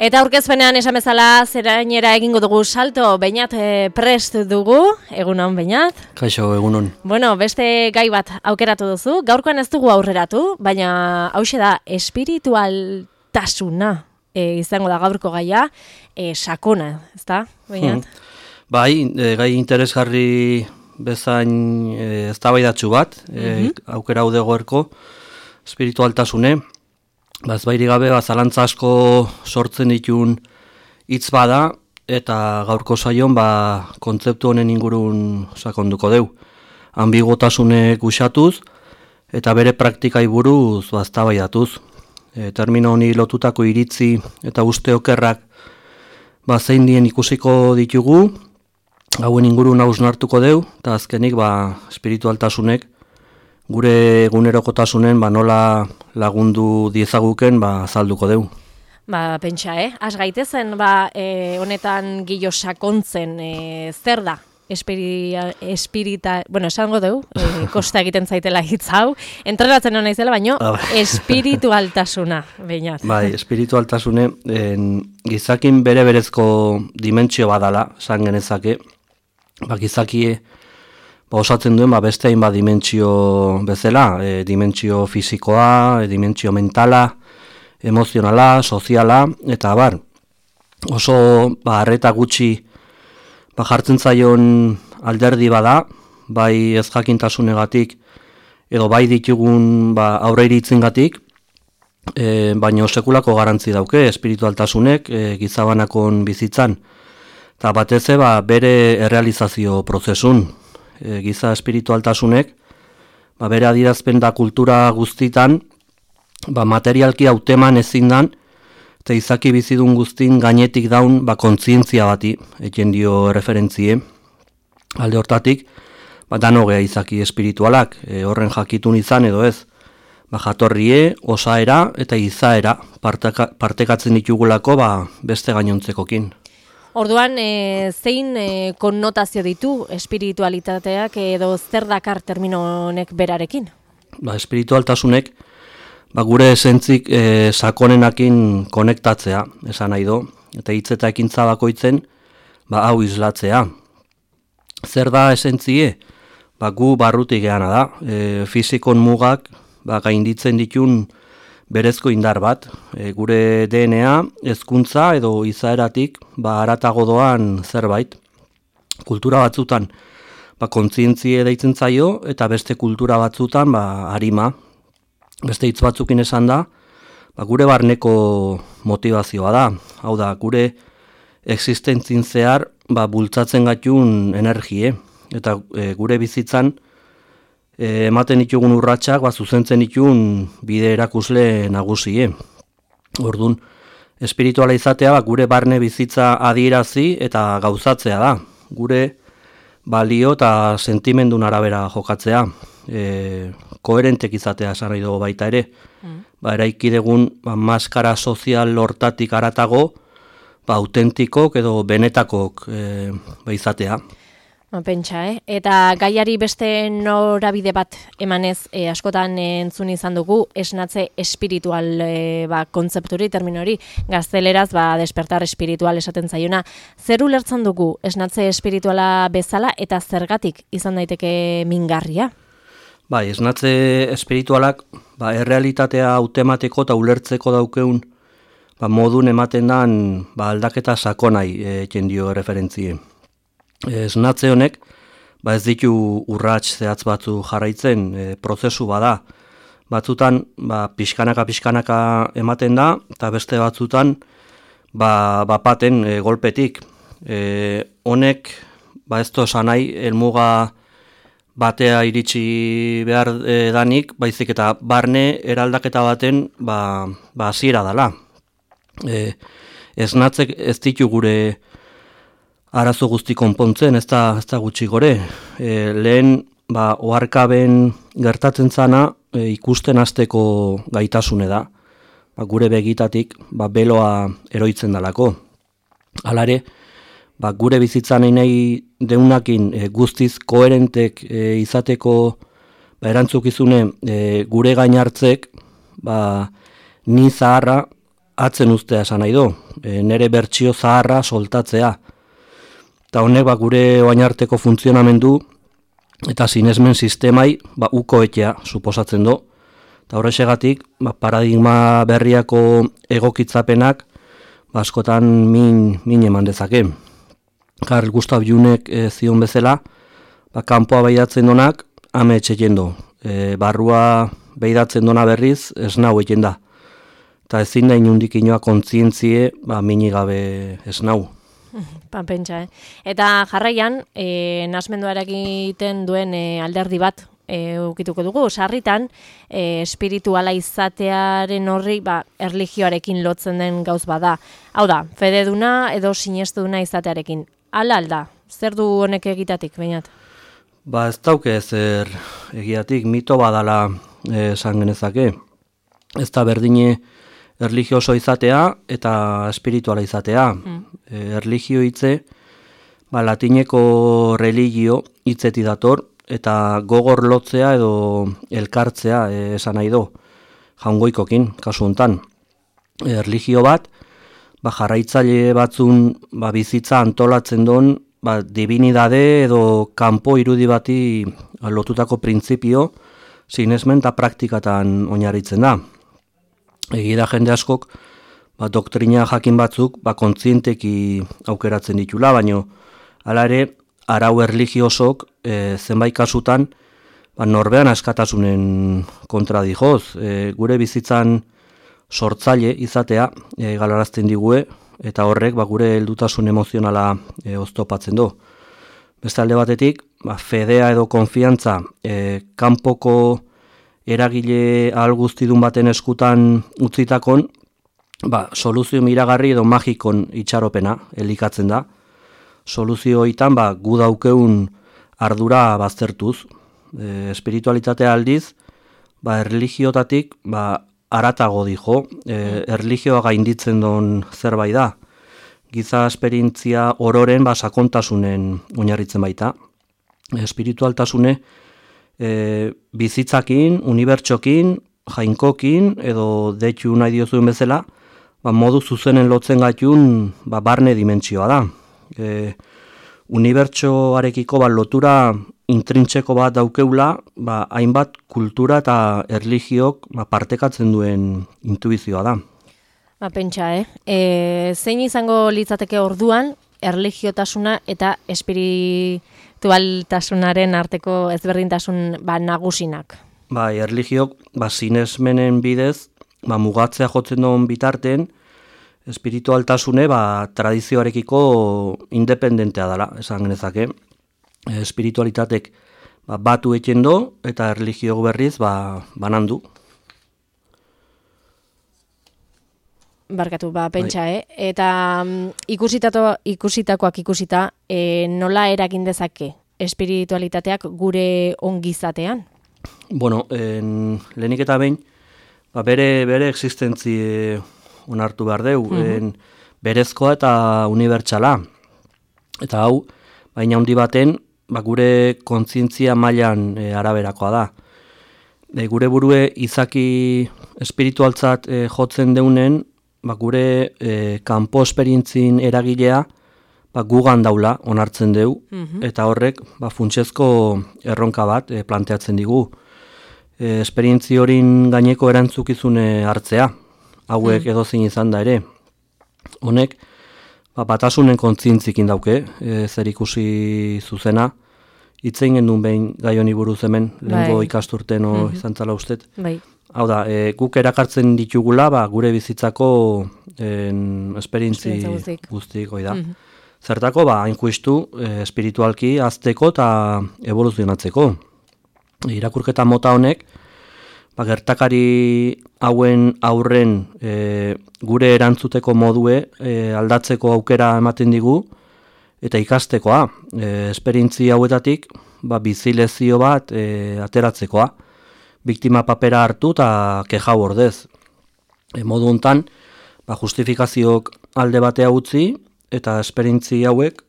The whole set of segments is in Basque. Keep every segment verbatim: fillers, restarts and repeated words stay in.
Eta aurkezpenean esan bezala zerainera egingo dugu salto, Beñat e, prest dugu, egunon Beñat. Kaixo, egunon. Bueno, beste gai bat aukeratu duzu, gaurkoan ez dugu aurreratu, baina hauxe da espiritualtasuna e, izango da gaurko gaia, e, sakona, ezta, Beñat? Hmm. Bai, e, gai interesgarri bezain e, eztabaidatsu bat, e, mm-hmm. aukera hau dagoerko espiritualtasune. Ba, ez bairi gabe, ba, zalantza asko sortzen ditun hitz bada, eta gaurko saion ba, kontzeptu honen ingurun sakonduko deu. Ambigotasunek usatuz, eta bere praktikai buruz ba, eztabaidatuz. E, termino honi lotutako iritzi eta uste okerrak ba, zein dien ikusiko ditugu, hauen ingurun hausnartuko deu, eta azkenik ba, espiritualtasunek gure egunerokotasunen ba, nola lagundu diezaguken ba, azalduko deu. Ba, pentsa, eh? Az gaitezen, ba, e, honetan gillo sakontzen, e, zer da? Espiri, espirita, bueno, esango deu, e, kosta egiten zaitela hitz hau, entrenatzen hona izela, baino, espiritualtasuna, Beñat. Bai, espiritualtasune, en, gizakin bere berezko dimentsio badala, esan genezake, ba, gizakie, ba, osatzen duen ba, beste hainbat dimentsio bezala, e, dimentsio fisikoa, e, dimentsio mentala, emozionala, soziala, eta bar, oso ba, arreta gutxi ba, jartzen zaion alderdi bada, bai ez jakintasunegatik, edo bai ditugun ba, aurre iritzingatik, e, baina sekulako garantzi dauke espiritualtasunek e, gizabanakon bizitzan, eta batez ba, bere errealizazio prozesun. E, giza espiritualtasunek, ba, bere adierazpen da kultura guztitan, ba, materialki hauteman ezin dan, eta izaki bizidun guztin gainetik daun ba, kontzientzia bati, eken dio referentzie. Alde hortatik, ba, danogea izaki espiritualak, e, horren jakitun izan edo ez, ba, jatorrie, osaera eta izaera parteka, partekatzen ditugulako ba, beste gainontzekokin. Orduan, e, zein e, konnotazio ditu espiritualitateak edo zer dakar termino honek berarekin? Ba, espiritualtasunek ba, gure esentzik e, sakonenakin konektatzea, esan nahi do, eta hitz eta ekintza bakoitzen ba, hau islatzea. Zer da esentzie? Ba, gu barrutik geana da, e, fizikon mugak ba, gainditzen ditun berezko indar bat, e, gure D N A, hezkuntza edo izaeratik ba, haratago doan zerbait. Kultura batzutan ba, kontzientzie deitzen zaio eta beste kultura batzutan ba, harima. Beste hitz batzukin esan da, ba, gure barneko motivazioa da. Hau da, gure existentzin zehar ba, bultzatzen gatun energie. Eta e, gure bizitzan E, ematen ditugun urratsak, ba, zuzentzen ditun bide erakusle nagusie. Ordun, espirituala izatea ba, gure barne bizitza adierazi eta gauzatzea da. Gure balio eta sentimendun arabera jokatzea. E, koherentek izatea esan nahi dugu baita ere. Mm. Ba, eraiki dugun ba, maskara sozial hortatik haratago, ba, autentikok edo benetakok e, ba, izatea. Pentsa, eh? Eta gaiari beste norabide bat emanez e, askotan entzun izan dugu esnatze espiritual e, ba, kontzepturi, terminori, gazteleraz ba, despertar espiritual esaten zaiona. Zer ulertzen dugu esnatze espirituala bezala eta zergatik izan daiteke mingarria? Bai, esnatze espiritualak ba, errealitatea hautemateko eta ulertzeko daukeun ba, modun ematen dan ba, aldaketa sakonai eken dio referentzie. Esnatze honek, ba ez ditu urrats zehatz batzu jarraitzen, e, prozesu bada. Batzutan, ba, pixkanaka-pixkanaka ematen da, eta beste batzutan, ba, bapaten e, golpetik. E, honek, ba ez tosan nahi, helmuga batea iritsi behar e, danik, baizik eta barne eraldaketa baten, ba, ba hasiera dala. E, esnatzek ez ditu gure arazo guzti konpontzen, ez da, ez da gutxi gore. E, lehen, ba, oharkaben gertatzen zana e, ikusten hasteko gaitasune da. Ba, gure begitatik, ba, beloa eroitzen dalako. Halare, ba, gure bizitzan nahi deunakin e, guztiz koherentek e, izateko ba, erantzukizune e, gure gainartzek, ba, ni zaharra atzen ustea esan nahi du, e, nere bertsio zaharra soltatzea. Eta honek ba, gure oainarteko funtzionamendu eta sinesmen sistemai ba, uko etea suposatzen du. Eta horrexegatik ba, paradigma berriako egokitzapenak ba, askotan min, min eman dezake. Karl Gustav Jungek e, zion bezala, ba, kanpoa behidatzen donak ame etxeken du. E, barrua behidatzen dona berriz esnau eken da. Eta ezin da inundik inoa kontzientzie ba, minigabe esnau. Ba, pentsa, eh? Eta jarraian, e, nasmendua eragiten duen e, alderdi bat e, ukituko dugu. Sarritan, e, espirituala izatearen horri ba, erlijioarekin lotzen den gauz bada. Hau da, fededuna edo sinestuduna izatearekin. Ala alda, zer du honek egitatik, bainat? Ba ez dauke zer egiatik, mito badala esan genezake. Ez da berdine erlijioso izatea eta espirituala izatea. Mm. E, erlijio hitze, ba, latineko religio hitzeti dator, eta gogor lotzea edo elkartzea e, esan nahi do, jaungoikokin, kasu hontan. E, erlijio bat, ba, jarraitzaile batzun ba, bizitza antolatzen don, ba, divinidade edo kanpo irudi bati lotutako printzipio, sinesmen eta praktikatan oinarritzen da. Egia jende askok, ba, doktrina jakin batzuk ba, kontzienteki aukeratzen ditula, baino hala ere, arau erligiosok e, zenbait kasutan ba, norbean askatasunen kontra dijoz. E, gure bizitzan sortzaile izatea e, galarazten digue, eta horrek ba, gure heldutasun emozionala e, oztopatzen du. Beste alde batetik, ba, fedea edo konfiantza e, kanpoko eragile ahal guztidun baten eskutan utzitakon, ba, soluzio miragarri edo magikon itxaropena elikatzen da. Soluzio hitan ba, gu daukeun ardura baztertuz. E, espiritualitatea aldiz, ba, erlijiotatik ba, aratago dijo, e, erlijioa gainditzen don zerbait da. Giza esperientzia ororen ba, sakontasunen oinarritzen baita. Espiritualtasune e, bizitzakin, unibertsokin, jainkokin, edo deitu nahi diozuen bezala, ba, modu zuzenen lotzen gaitun ba, barne dimentsioa da. E, unibertsoarekiko ba, lotura intrintseko bat daukeula, ba, hainbat kultura eta erligiok ba, partekatzen duen intuizioa da. Ba, pentsa, eh? E, zein izango litzateke orduan, erligiotasuna eta espiritualtasunaren arteko ezberdintasun ba, nagusinak? Ba, erligiok ba, sinesmenen bidez ba, mugatzea jotzen duen bitarten, espiritualtasune ba, tradizioarekiko independentea dela, esan genezake. Espiritualitatek ba, batu eken do eta erlijio berriz ba, banandu. Barkatu, ba, pentsa, eh? Eta um, ikusitakoak ikusita, e, nola eragin dezake espiritualitateak gure ongizatean? Bueno, en, lehenik eta behin, ba, bere, bere existentzi onartu behar deu, mm-hmm. berezkoa eta unibertsala. Eta hau, baina handi baten, ba, gure kontzientzia mailan e, araberakoa da. E, gure burue izaki espiritualtzat e, jotzen deunen, ba, gure e, kanpo esperientzin eragilea ba, gugan daula onartzen deu, mm-hmm. eta horrek ba, funtsezko erronka bat e, planteatzen digu. E, esperientzi horin gaineko erantzukizune hartzea, hauek mm. edozin izan da ere. Honek, ba, batasunen kontzientzikin dauke, e, zer ikusi zuzena, hitzein gendun behin gai honi buruz hemen, lehengo bai. ikasturten o mm-hmm. izan zala ustet. Bai. Hau da, e, guk erakartzen ditugula, ba, gure bizitzako en, esperientzi guztik, oi da. Mm-hmm. Zertako, ba, hain juistu, e, espiritualki azteko eta evoluzionatzeko. Irakurketa mota honek, ba, gertakari hauen aurren e, gure erantzuteko modue e, aldatzeko aukera ematen digu, eta ikastekoa, e, esperientzi hauetatik, ba, bizilezio bat e, ateratzekoa. Biktima papera hartu eta kejau ordez. E, modu hontan, ba, justifikazioak alde batea utzi eta esperientzi hauek,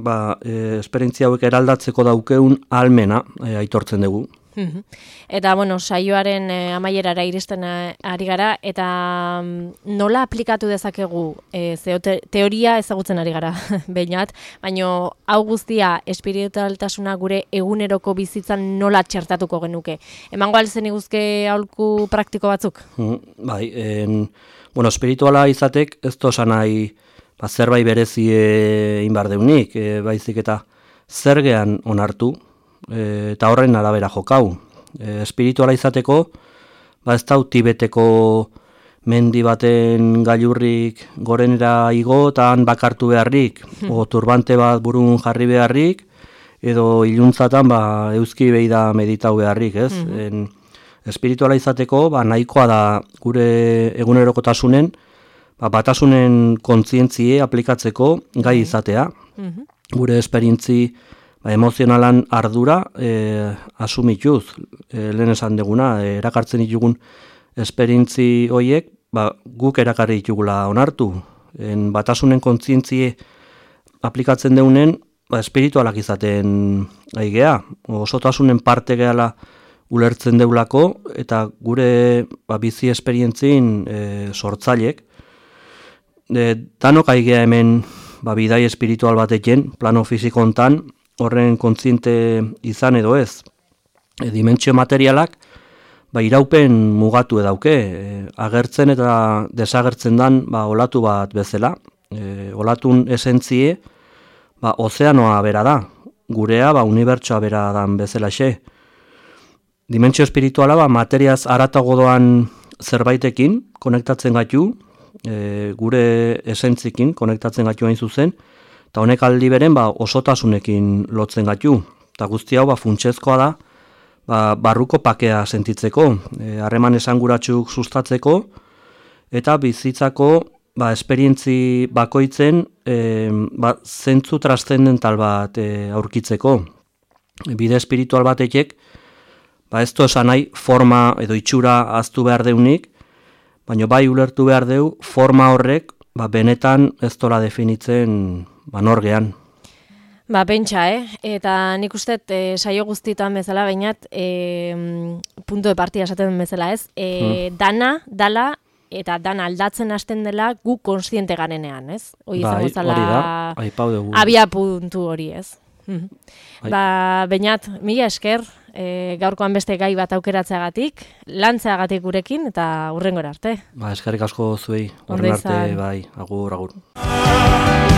ba, e, esperientzi hauek eraldatzeko daukeun ahalmena e, aitortzen dugu. Eta, bueno, saioaren eh, amaierara iristen ari gara, eta mm, nola aplikatu dezakegu, eh, zeo te, teoria ezagutzen ari gara, behinat, baina hau guztia espiritualtasuna gure eguneroko bizitzan nola txertatuko genuke. Emango alzen iguzke aholku praktiko batzuk? Mm, bai, en, bueno, espirituala izatek ez tosan nahi ba, zerbait berezi egin behar deunik, e, baizik eta zergean onartu, E, eta horren arabera jokau. E, espirituala izateko, ba ez dau Tibeteko mendi baten gailurrik gorenera igo, eta han bakartu beharrik, o turbante bat burun jarri beharrik, edo iluntzatan ba, euski behi da meditau beharrik, ez? En, espirituala izateko, ba, nahikoa da gure egunerokotasunen, ba, batasunen kontzientzie aplikatzeko gai izatea. Gure esperientzi ba, emozionalan ardura e, asumituz, e, lehen esan deguna, e, erakartzen ditugun esperientzi horiek, ba, guk erakarri ditugula onartu. En, batasunen kontzientzie aplikatzen deunen, ba, espiritualak izaten aigea, osotasunen parte gehala ulertzen deulako, eta gure ba, bizi esperientzin e, sortzailek. E, danok aigea hemen ba, bidai espiritual batekin, plano fizikontan, horren kontziente izan edo ez. E, dimentsio materialak ba, iraupen mugatu edauke, e, agertzen eta desagertzen dan ba, olatu bat bezala. E, olatun esentzie ba, ozeanoa bera da, gurea ba, unibertsoa bera dan bezala xe. Dimentsio espirituala ba, materiaz aratago doan zerbaitekin konektatzen gaitu, e, gure esentzikin konektatzen gaitu hain zuzen, eta honek aldi beren ba, osotasunekin lotzen gaitu. Eta guzti hau ba, funtsezkoa da ba, barruko pakea sentitzeko, harreman e, esanguratsuk sustatzeko, eta bizitzako ba, esperientzi bakoitzen e, ba, zentzu transzendental bat e, aurkitzeko. Bide espiritual batekek, ba, ez to esan nahi forma edo itxura aztu behar deunik, baina bai ulertu behar deu forma horrek ba, benetan ez tola definitzen ba, norgean. Ba, pentsa, eh? Eta nik uste e, saio guztietan bezala, bainat, e, punto de partida esaten bezala, ez? E, hmm. Dana, dala, eta dana aldatzen hasten dela gu konstiente garenean, ez? Hoi bai, izango hori da, aipau dugu. Abia puntu hori, ez? Ba, bainat, mila esker, e, gaurkoan beste gai bat aukeratzeagatik, lantzeagatik gurekin, eta hurrengora arte. Ba, eskerrik asko zuei, horren arte, bai, agur, agur.